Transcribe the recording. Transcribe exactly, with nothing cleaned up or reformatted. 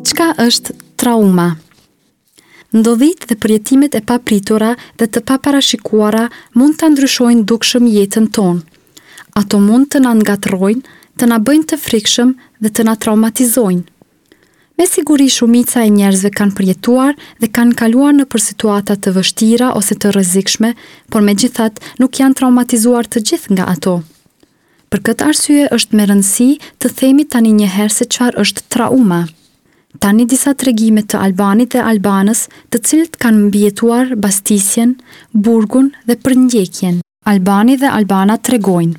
Çka është trauma? Ndodhitë dhe përjetimet e papritura dhe të paparashikuara mund ta ndryshojnë dukshëm jetën tonë. Ato mund të na ngatërrojnë, të na bëjnë të frikshëm dhe të na traumatizojnë. Me siguri shumica e njerëzve kanë përjetuar dhe kanë kaluar nëpër situata të vështira ose të rrezikshme, por megjithatë nuk janë traumatizuar të gjithë nga ato. Për këtë arsye është me rëndësi të themi tani një herë se çfarë është trauma. Tani disa tregime të Albanit dhe Albanës, të cilët kanë mbijetuar bastisjen, burgun dhe përndjekjen. Albani dhe Albana tregojnë.